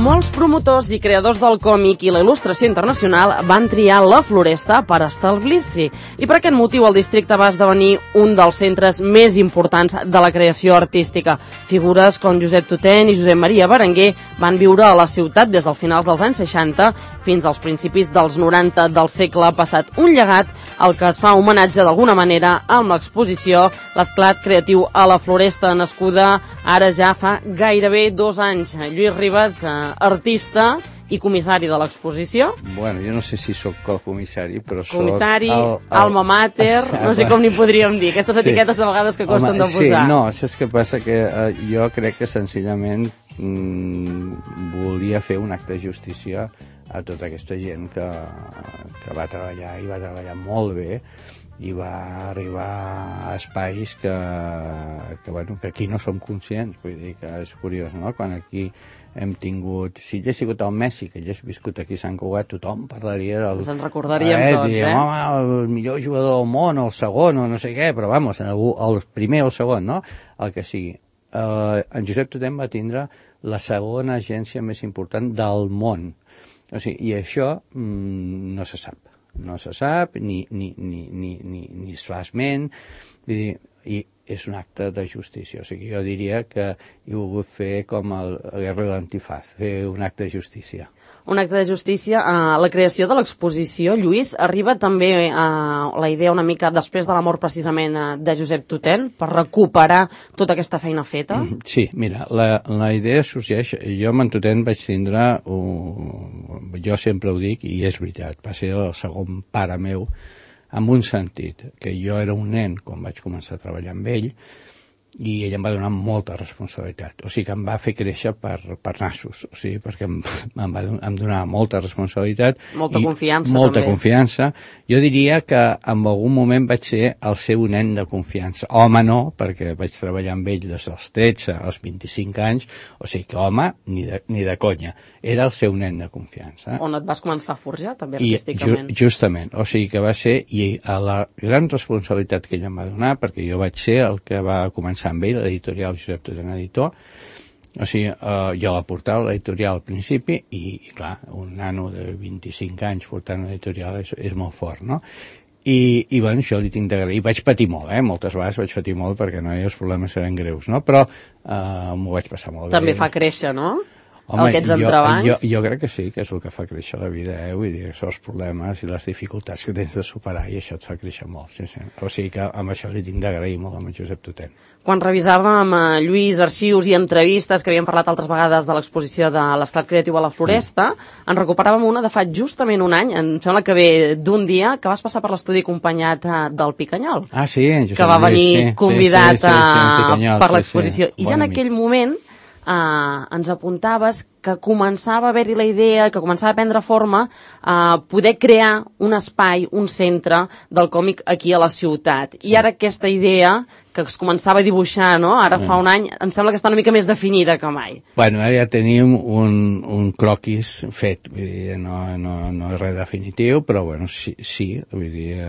Molts promotors i creadors del còmic i la il·lustració internacional van triar la Floresta per establir-s'hi. I per aquest motiu el districte va esdevenir un dels centres més importants de la creació artística. Figures com Josep Tutén i Josep Maria Berenguer van viure a la ciutat des dels finals dels anys 60 fins als principis dels 90 del segle passat. Un llegat al que es fa homenatge d'alguna manera amb l'exposició L'esclat creatiu a la Floresta, nascuda ara ja fa gairebé 2 anys. Lluís Ribas, artista i comissari de l'exposició. Bueno, jo no sé si sóc comissari, però sóc... Comissari, alma mater, no sé com n'hi podríem dir. Aquestes etiquetes a vegades que costen de posar. Sí, no, saps què passa? Que jo crec que senzillament volia fer un acte de justícia a tota aquesta gent que va treballar i va treballar molt bé i va arribar a espais que aquí no som conscients. Vull dir que és curiós, no? Quan aquí hem tingut... Si hagués sigut el Messi, que hagués viscut aquí a Sant Cugat, tothom parlaria del... Ens en recordaríem tots, Home, el millor jugador del món, el segon, o no sé què, però vamos, el primer o el segon, no? El que sigui. En Josep Tutén va tindre la segona agència més important del món. O sigui, i això no se sap. No se sap, ni es fa esment, i és un acte de justícia. O sigui, jo diria que he volgut fer com el Guerra de l'Antifaz, fer un acte de justícia. Un acte de justícia. La creació de l'exposició, Lluís, arriba també la idea una mica després de la mort precisament de Josep Tutén, per recuperar tota aquesta feina feta? Sí, mira, la idea sorgeix... Jo amb en Tutén vaig tindre... Jo sempre ho dic, i és veritat, va ser el segon pare meu, en un sentit, que jo era un nen quan vaig començar a treballar amb ell, i ell em va donar molta responsabilitat, o sigui que em va fer créixer per nassos, o sigui, perquè em donava molta responsabilitat, molta confiança molta també. Confiança. Jo diria que en algun moment vaig ser el seu nen de confiança. Home no, perquè vaig treballar amb ell des dels 13 als 25 anys, o sigui que home, ni de conya, era el seu nen de confiança. On et vas començar a forjar també artísticament. Justament, o sigui que va ser, i a la gran responsabilitat que ell em va donar, perquè jo vaig ser el que va començar amb ell, l'editorial Josep Tutén Editor, o sigui, jo la portava a l'editorial al principi i clar, un nano de 25 anys portant l'editorial és molt fort, no? I bueno, això li tinc d'agrair. Vaig patir molt, moltes vegades vaig patir molt perquè no, els problemes eren greus, no? Però m'ho vaig passar molt bé. També fa créixer, no? Home, aquests entrebancs. Jo crec que sí, que és el que fa créixer la vida, vull dir, són els problemes i les dificultats que tens de superar i això et fa créixer molt, sí. O sigui que amb això li tinc d'agrair molt amb Josep Tutén. Quan revisàvem, Lluís, arxius i entrevistes que havíem parlat altres vegades de l'exposició de l'Esclat Creatiu a la Floresta, en recuperàvem una de fa justament un any, em sembla que ve d'un dia, que vas passar per l'estudi acompanyat del Picanyol. Ah, sí, que va venir convidat per l'exposició. I ja en aquell moment ens apuntaves que començava a haver-hi la idea, que començava a prendre forma poder crear un espai, un centre del còmic aquí a la ciutat. I ara aquesta idea que es començava a dibuixar, no? Ara fa un any, em sembla que està una mica més definida que mai. Bueno, ara ja tenim un croquis fet, vull dir, no és res definitiu, però bueno, sí, vull dir,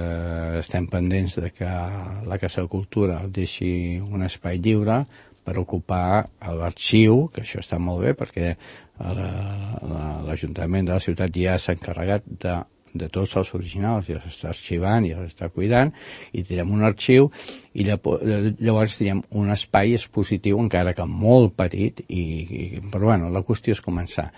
estem pendents de que la Casa de Cultura deixi un espai lliure per ocupar l'arxiu, que això està molt bé perquè l'Ajuntament de la ciutat ja s'ha encarregat de tots els originals, ja s'està arxivant, ja s'està cuidant, i tindrem un arxiu i llavors tindrem un espai expositiu encara que molt petit, però bueno, la qüestió és començar.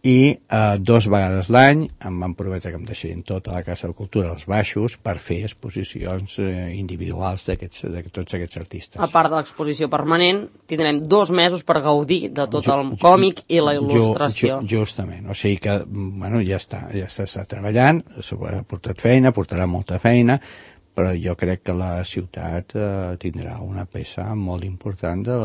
I 2 vegades l'any em van prometre que em deixarien tota la Casa de Cultura als baixos per fer exposicions individuals de tots aquests artistes. A part de l'exposició permanent, tindrem 2 mesos per gaudir de tot el còmic i la il·lustració. Justament, o sigui que bueno, ja s'està treballant, s'ha portat feina, portarà molta feina, però jo crec que la ciutat tindrà una peça molt important de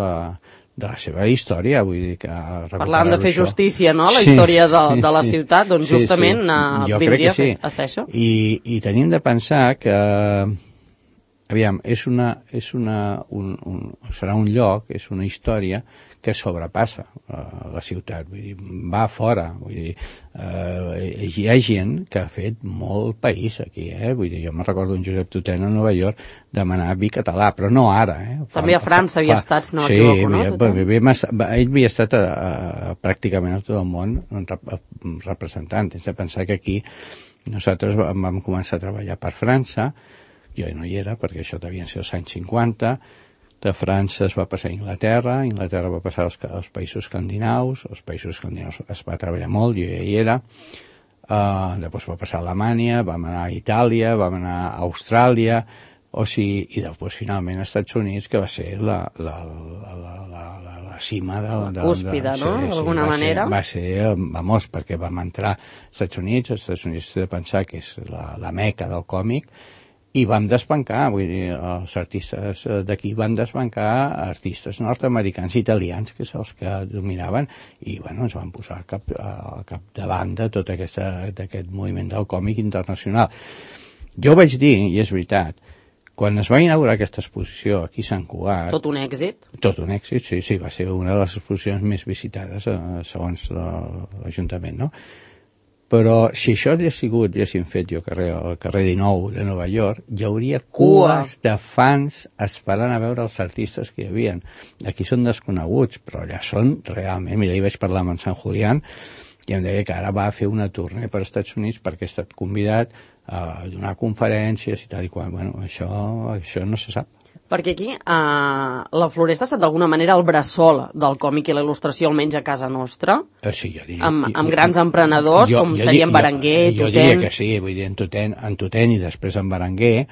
la seva història, vull dir que... Parlant de fer justícia, no?, la història de la ciutat, doncs justament vindria a ser això. I tenim de pensar que, aviam, serà un lloc, és una història que sobrepassa la ciutat, vull dir, va fora, vull dir, hi ha gent que ha fet molt país aquí, vull dir, jo me'n recordo un Josep Tutena a Nova York demanar vi català, però no ara, També a França havia estat, si no m'equivoco, no? Ell havia estat pràcticament a tot el món representant. Tens de pensar que aquí nosaltres vam començar a treballar per França, jo no hi era perquè això devien ser els anys 50, de França es va passar a Inglaterra va passar als països escandinaus, els països escandinaus es va treballar molt, jo ja hi era, després va passar a Alemanya, vam anar a Itàlia, vam anar a Austràlia, i després finalment als Estats Units, que va ser la cima de la cúspide, no? D'alguna manera. Va ser, perquè vam entrar als Estats Units de pensar que és la meca del còmic, i vam desbancar, vull dir, els artistes d'aquí van desbancar artistes nord-americans i italians, que són els que dominaven, i bueno, ens van posar al capdavant de tot aquest moviment del còmic internacional. Jo vaig dir, i és veritat, quan es va inaugurar aquesta exposició aquí a Sant Cugat... Tot un èxit? Tot un èxit, sí, va ser una de les exposicions més visitades segons l'Ajuntament, no? Però si això haguéssim fet jo al carrer 19 de Nova York, hi hauria cues de fans esperant a veure els artistes que hi havia. Aquí són desconeguts, però allà són realment... Mira, ahir vaig parlar amb en Sant Julián i em deia que ara va fer una tournée per als Estats Units perquè ha estat convidat a donar conferències i tal i qual. Bueno, això no se sap. Perquè aquí la Floresta ha estat d'alguna manera el bressol del còmic i la il·lustració, almenys a casa nostra, sí, jo diria, amb grans emprenedors com serien Berenguer, Tutén... Jo diria que sí, vull dir, en Tutén i després en Berenguer.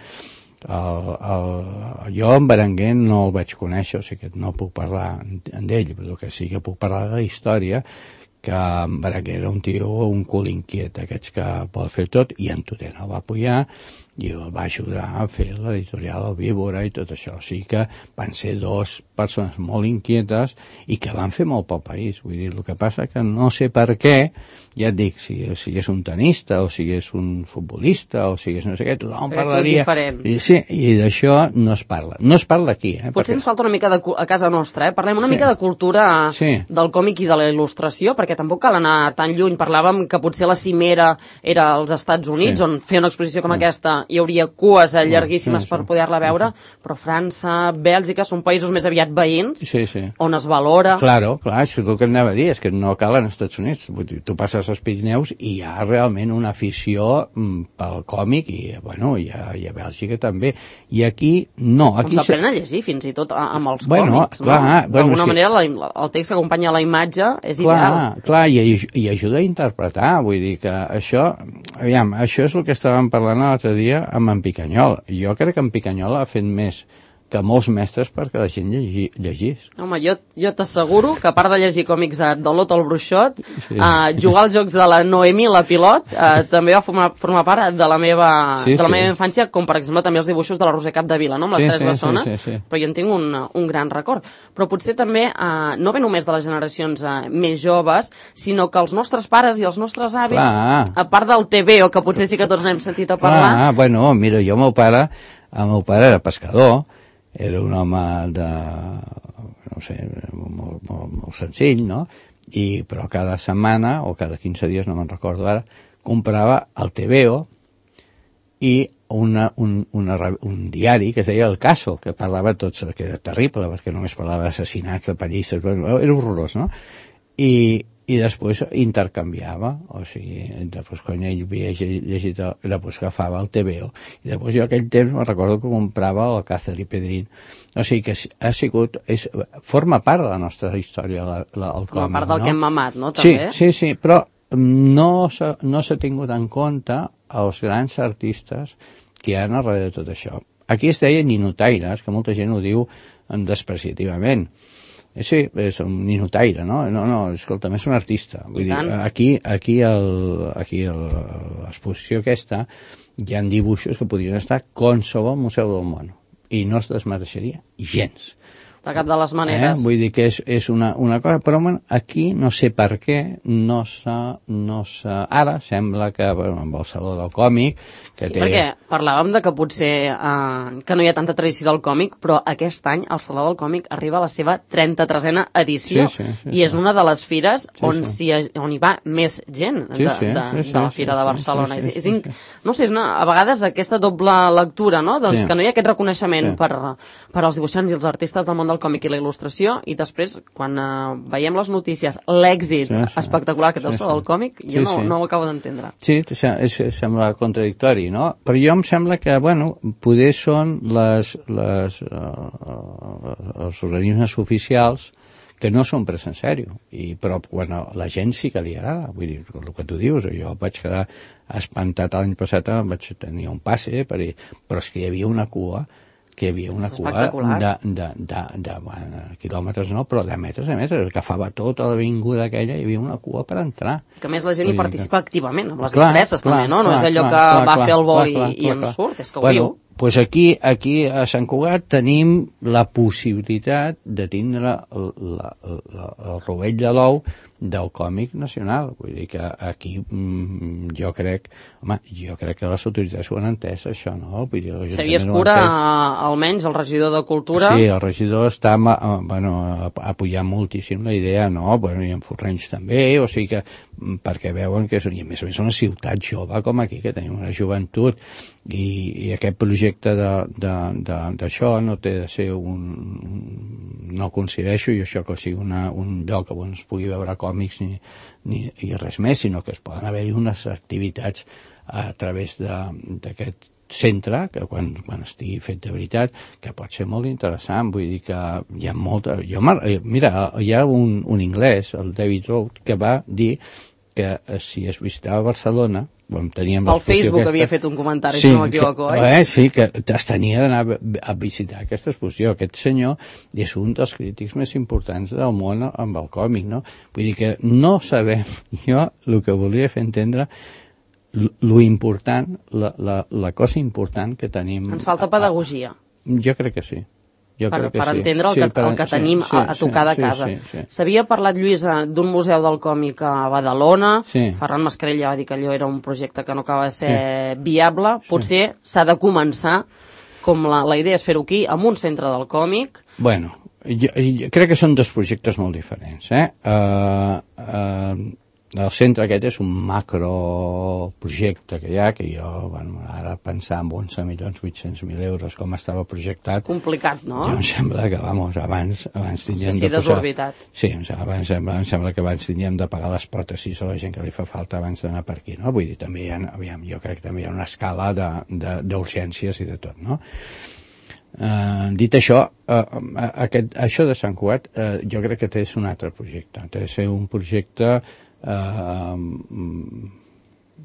Jo en Berenguer no el vaig conèixer, o sigui que no puc parlar d'ell, però que sí que puc parlar de la història, que en Berenguer era un tio, un cul inquiet, aquests que vol fer tot, i en Tutén el va apoyar i el va ajudar a fer l'editorial El Víbora i tot això. O sigui que van ser dues persones molt inquietes i que van fer molt pel país. Vull dir, el que passa que no sé per què, ja et dic, si és un tenista o si és un futbolista o si és no sé què, tothom parlaria... Sí, i d'això no es parla. No es parla aquí. Potser ens falta una mica a casa nostra, Parlem una mica de cultura del còmic i de la il·lustració, perquè tampoc cal anar tan lluny. Parlàvem que potser la cimera era als Estats Units, on fer una exposició com aquesta hi hauria cues llarguíssimes per poder-la veure, però França, Bèlgica són països més aviat veïns, on es valora... Clar, això és el que anava a dir, és que no cal als Estats Units. Vull dir, tu passes als Pirineus i hi ha realment una afició pel còmic i, bueno, i a Bèlgica també. I aquí no. Aquí s'aprèn a llegir fins i tot amb els còmics, no? D'alguna manera el text que acompanya la imatge és ideal. Clar, i ajuda a interpretar, vull dir que això és el que estàvem parlant l'altre dia amb en Picanyol. Jo crec que en Picanyol ha fet més que molts mestres perquè la gent llegís. Home, jo t'asseguro que a part de llegir còmics de l'Otto el Bruixot, jugar als jocs de la Noemi la Pilot també va formar part de la meva infància, com per exemple també els dibuixos de la Roser Capdevila, no? Amb les tres bessones, però jo en tinc un gran record. Però potser també, no ve només de les generacions més joves, sinó que els nostres pares i els nostres avis, a part del TVO, que potser sí que tots n'hem sentit a parlar... Bueno, mira, el meu pare era pescador, era un home no sé, molt senzill, no? Però cada setmana, o cada 15 dies, no me'n recordo ara, comprava el TVO i un diari que es deia El Caso, que parlava tots, que era terrible, perquè només parlava d'assassinats, de pallisses, era horrorós, no? I després intercanviava, o sigui, després quan ell havia llegit, després agafava el TVO, i després jo aquell temps me'n recordo que comprava el Cáceres i Pedrín. O sigui que forma part de la nostra història, el còmic. Forma part del que hem mamat, no? També? Sí, però no s'ha tingut en compte els grans artistes que hi ha darrere de tot això. Aquí es deia ninotaires, que molta gent ho diu despreciativament. Sí, és un ninotaire, no? No, escolta'm, és un artista. Vull dir, aquí l'exposició aquesta hi ha dibuixos que podrien estar a qualsevol museu del món i no es desmereixeria gens. de cap de les maneres. Vull dir que és una cosa, però bueno, aquí no sé per què ara sembla que amb el Saló del Còmic que té... perquè parlàvem de que potser que no hi ha tanta tradició del còmic, però aquest any el Saló del Còmic arriba a la seva 33a edició i és una de les fires on hi va més gent de la Fira de Barcelona. No sé, a vegades aquesta doble lectura, no? Doncs que no hi ha aquest reconeixement per als dibuixants i els artistes del món del còmic i la il·lustració, i després, quan veiem les notícies, l'èxit espectacular que té el Saló del Còmic, jo no ho acabo d'entendre. Sí, sembla contradictori, no? Però jo em sembla que, bueno, poder són els organismes oficials que no són pres en sèrio, però quan la gent sí que li agrada, vull dir, el que tu dius, jo vaig quedar espantat l'any passat, vaig tenir un passe, però és que hi havia una cua de quilòmetres, no, però de metres, que agafava tota l'avinguda aquella, hi havia una cua per entrar. Que a més la gent hi participa activament, amb les disfresses també, no? No és allò que va fer el vol i en surt, és que ho viu. Doncs aquí a Sant Cugat tenim la possibilitat de tindre el rovell de l'ou del còmic nacional. Vull dir que aquí jo crec que les autoritats ho han entès, això, no? Xavier Escura, almenys, el regidor de Cultura... Sí, el regidor està apoyant moltíssim la idea, no? I en Forrenys també, o sigui que perquè veuen que és, i a més una ciutat jove com aquí, que tenim una joventut, i aquest projecte d'això no té de ser no coincideixo i això que sigui un lloc on es pugui veure còmics ni res més, sinó que es poden haver-hi unes activitats a través d'aquest centre, que quan estigui fet de veritat, que pot ser molt interessant. Vull dir que hi ha molta... Mira, hi ha un anglès, el David Roth, que va dir que si es visitava Barcelona, teníem al Facebook havia fet un comentari, si no m'equivoco, sí, que es tenia d'anar a visitar aquesta exposició. Aquest senyor és un dels crítics més importants del món amb el còmic, no? Vull dir que no sabem, jo el que volia fer entendre lo important, la cosa important que tenim... Ens falta pedagogia. Jo crec que sí. Per entendre el que tenim a tocar de casa. S'havia parlat, Lluís, d'un museu del còmic a Badalona. Ferran Mascarell ja va dir que allò era un projecte que no acaba de ser viable. Potser s'ha de començar, com la idea és fer-ho aquí, amb un centre del còmic. Bueno, jo crec que són dos projectes molt diferents. El centre aquest és un macroprojecte que hi ha, que jo, ara pensar en 11.800.000 euros com estava projectat... És complicat, no? Jo em sembla que, abans tindríem de posar... desorbitat. Sí, em sembla que abans tindríem de pagar les pròtesis a la gent que li fa falta abans d'anar per aquí, no? Vull dir, també jo crec que també hi ha una escala d'urgències i de tot, no? Dit això, això de Sant Cugat jo crec que és un altre projecte. Té de ser un projecte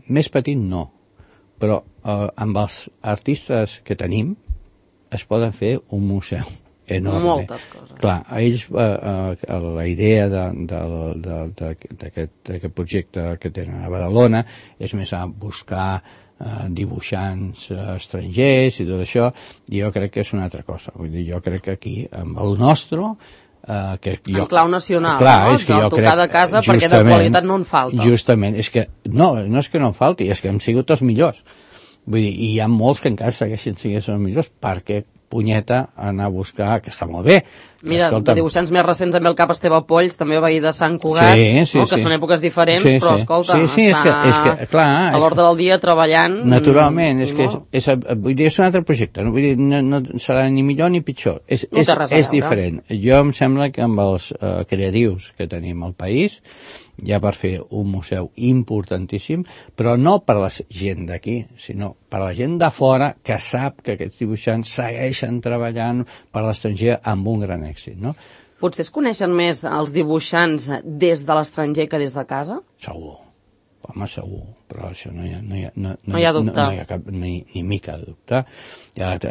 més petit no, però amb els artistes que tenim es poden fer un museu enorme. Moltes coses. Clar, ells, la idea d'aquest projecte que tenen a Badalona és més a buscar dibuixants estrangers i tot això, i jo crec que és una altra cosa. Vull dir, jo crec que aquí, amb el nostre... en clau nacional, clar, és que jo tocar de casa, perquè de qualitat no en falta. Justament, és que no és que no en falti, és que hem sigut els millors. Vull dir, i hi ha molts que encara segueixen sent els millors, perquè punyeta anar a buscar, que està molt bé. Mira, de dibuixants més recents amb el cap Esteve Polls, també va ir de Sant Cugat, que són èpoques diferents, però escolta, està a l'ordre del dia treballant... Naturalment, vull dir, és un altre projecte, vull dir, no serà ni millor ni pitjor, és diferent. Jo em sembla que amb els creatius que tenim al país, ja per fer un museu importantíssim, però no per la gent d'aquí, sinó per la gent de fora que sap que aquests dibuixants segueixen treballant per l'estranger amb un gran èxit, no? Potser es coneixen més els dibuixants des de l'estranger que des de casa? Segur, home, segur, però això no hi ha dubte. No hi ha cap ni mica de dubte.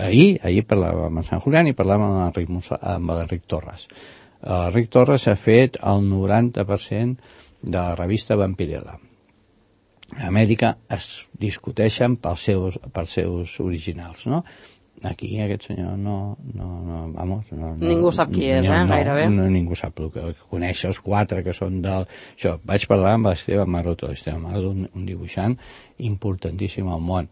Ahir parlàvem amb Sant Julián i parlàvem amb l'Enric Torres. L'Enric Torres ha fet el 90% de la revista Vampirella. A Amèrica es discuteixen pels seus originals, no? aquí aquest senyor vamos, ningú sap qui és, gairebé. Ningú sap el que coneix els 4 que són del... Això, vaig parlar amb l'Esteban Maroto, un dibuixant importantíssim al món.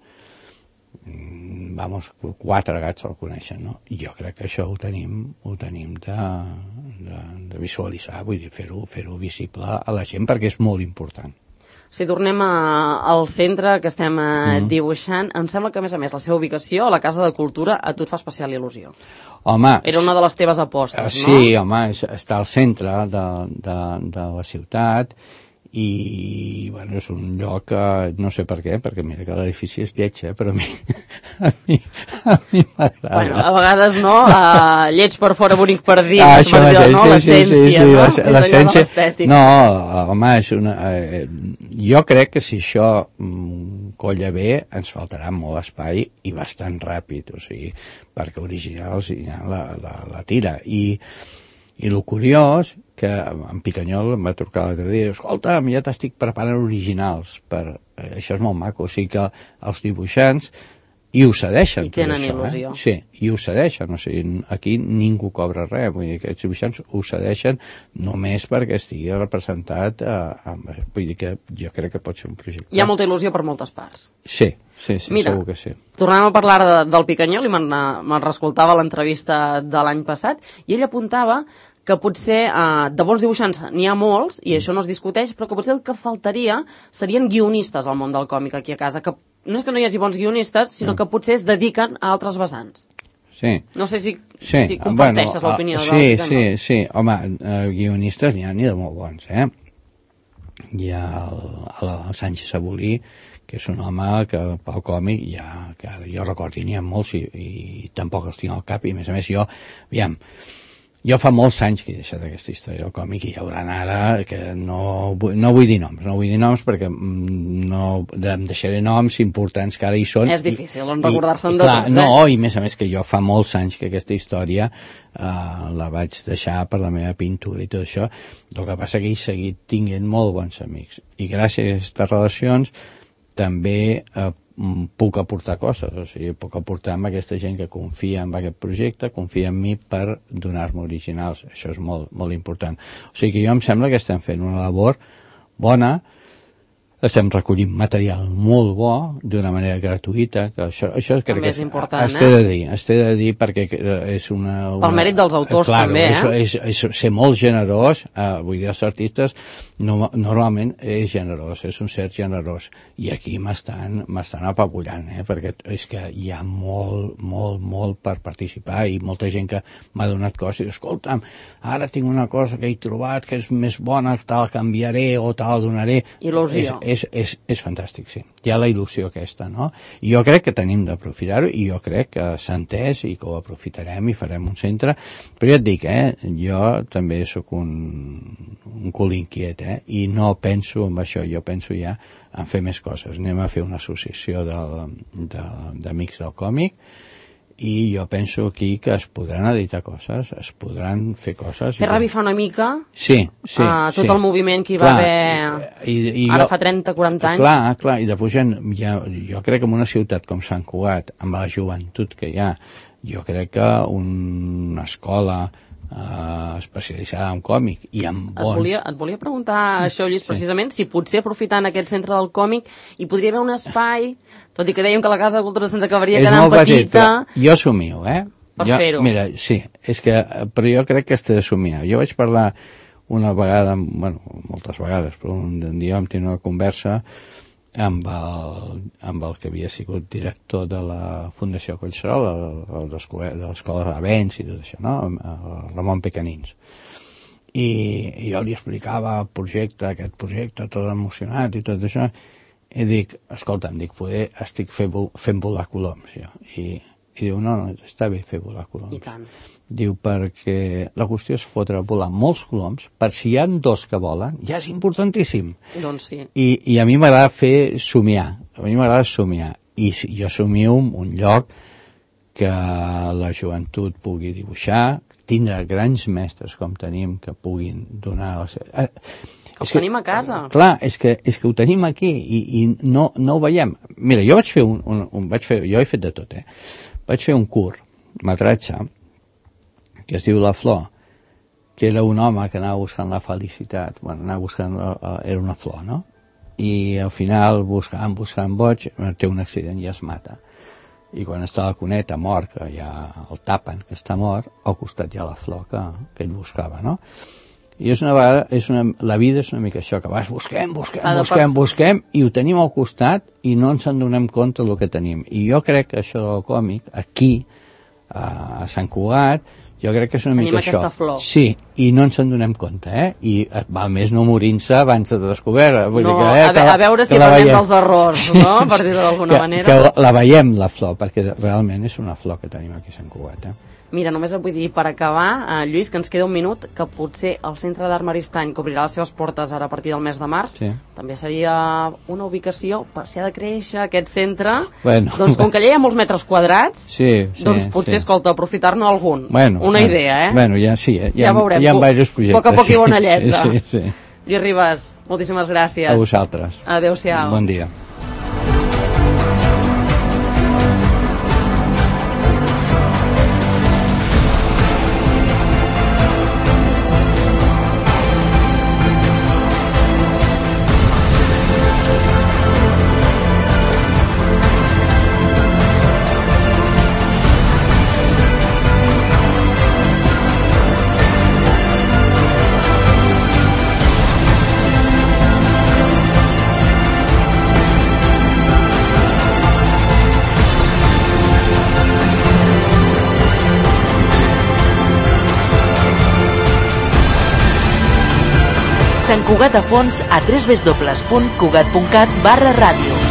Vamos, 4 gats el coneixen, no? Jo crec que això ho tenim de visualitzar, vull dir, fer-ho visible a la gent perquè és molt important. Si tornem al centre que estem dibuixant, em sembla que, a més, la seva ubicació a la Casa de Cultura a tu et fa especial il·lusió. Home... Era una de les teves apostes, no? Sí, home, està al centre de la ciutat i, bueno, és un lloc, no sé per què, perquè mira que l'edifici és lleig, però a mi m'agrada. Bueno, a vegades no, lleig per fora, bonic per dins, això mateix, no? L'essència, no? L'essència, no, home, és una... Jo crec que si això colla bé, ens faltarà molt espai i bastant ràpid, o sigui, perquè originals ja la tira. I el curiós, que en Picanyol em va trucar l'altre dia, escolta, ja t'estic preparant originals, això és molt maco, o sigui que els dibuixants i ho cedeixen. I tenen il·lusió. Sí, i ho cedeixen, o sigui, aquí ningú cobra res, vull dir que aquests dibuixants ho cedeixen només perquè estigui representat, vull dir que jo crec que pot ser un projecte. Hi ha molta il·lusió per moltes parts. Sí, mira, segur que sí. Tornant a parlar del Picanyol, i me'n reescoltava l'entrevista de l'any passat, i ell apuntava que potser de bons dibuixants n'hi ha molts, i això no es discuteix, però que potser el que faltaria serien guionistes al món del còmic aquí a casa, que no és que no hi hagi bons guionistes, sinó que potser es dediquen a altres vessants. Sí. No sé si comparteixes l'opinió del Picanyol. Sí, home, guionistes n'hi ha ni de molt bons, Hi ha el Sánchez Abolí, que és un home que pel còmic que jo recordo n'hi ha molts i tampoc els tinc al cap, i a més jo fa molts anys que he deixat aquesta història del còmic i hi haurà ara que no vull dir noms perquè em deixaré noms importants que ara hi són. És difícil recordar-se'n de tots. No, i a més que jo fa molts anys que aquesta història la vaig deixar per la meva pintura i tot això. El que passa que he seguit tinguent molt bons amics i gràcies a aquestes relacions també puc aportar coses, o sigui, puc aportar amb aquesta gent que confia en aquest projecte, confia en mi per donar-me originals. Això és molt, molt important. O sigui que jo em sembla que estem fent una labor bona, estem recollint material molt bo d'una manera gratuïta, que això crec que és important, es té de dir perquè és una... Pel mèrit dels autors també, és ser molt generós, vull dir, els artistes normalment és generós, és un cert generós, i aquí m'estan apabullant, perquè és que hi ha molt per participar i molta gent que m'ha donat coses i diu, escolta'm, ara tinc una cosa que he trobat que és més bona, tal canviaré o tal donaré. Il·lusió. És fantàstic, sí. Hi ha la il·lusió aquesta, no? I jo crec que tenim d'aprofitar-ho i jo crec que s'ha entès i que ho aprofitarem i farem un centre. Però ja et dic, jo també sóc un cul inquiet, i no penso en això, jo penso ja en fer més coses. Anem a fer una associació d'amics del còmic i jo penso aquí que es podran editar coses, es podran fer coses. Fer revifar una mica tot el moviment que hi va haver ara fa 30-40 anys. Clar, i després jo crec que en una ciutat com Sant Cugat, amb la joventut que hi ha, jo crec que una escola especialitzada en còmic i en bons... Et volia preguntar això, Lluís, precisament, si potser aprofitant aquest centre del còmic hi podria haver un espai, tot i que dèiem que la Casa de Cultura se'ns acabaria quedant petita... Jo somio, per fer-ho. Mira, sí, però jo crec que has de somiar. Jo vaig parlar una vegada, moltes vegades, però un dia vam tenir una conversa amb el que havia sigut director de la Fundació Collserola, de l'Escola d'Avents i tot això, no? El Ramon Pecanins. I jo li explicava aquest projecte, tot emocionat i tot això, i dic, escolta'm, poder estic fent volar coloms, jo. I diu, no, està bé fer volar coloms. I tant. Diu, perquè la qüestió és fotre volar molts coloms, per si hi ha 2 que volen, ja és importantíssim. Doncs sí. I a mi m'agrada fer somiar, i jo somio un lloc que la joventut pugui dibuixar, tindre grans mestres com tenim que puguin donar... Els tenim a casa. Clar, és que ho tenim aquí i no ho veiem. Mira, jo vaig fer jo he fet de tot, vaig fer un curtmetratge que es diu La Flor, que era un home que anava buscant la felicitat, anava buscant, era una flor, no? I al final, buscant boig, té un accident i es mata. I quan està a la cuneta, mort, que ja el tapen, que està mort, al costat hi ha la flor que ell buscava, no? I la vida és una mica això, que vas busquem, i ho tenim al costat i no ens en donem compte del que tenim. I jo crec que això del còmic, aquí, a Sant Cugat, jo crec que és una mica això. Tenim aquesta flor. Sí, i no ens en donem compte, I val més no morir-se abans de descobert. A veure si aprenem dels errors, no? Per dir-ho d'alguna manera. Que la veiem, la flor, perquè realment és una flor que tenim aquí a Sant Cugat, Mira, només et vull dir, per acabar, Lluís, que ens queda un minut, que potser el Centre d'Art Maristany, que obrirà les seves portes ara a partir del mes de març, també seria una ubicació per si ha de créixer aquest centre. Doncs com que allà hi ha molts metres quadrats, doncs potser, escolta, aprofitar-ne algun. Una idea, Ja veurem. Hi ha diversos projectes. A poc a poc i bona lletra. Lluís Ribas, moltíssimes gràcies. A vosaltres. Adéu-siau. Bon dia. Sant Cugat a fons a www.cugat.cat/ràdio.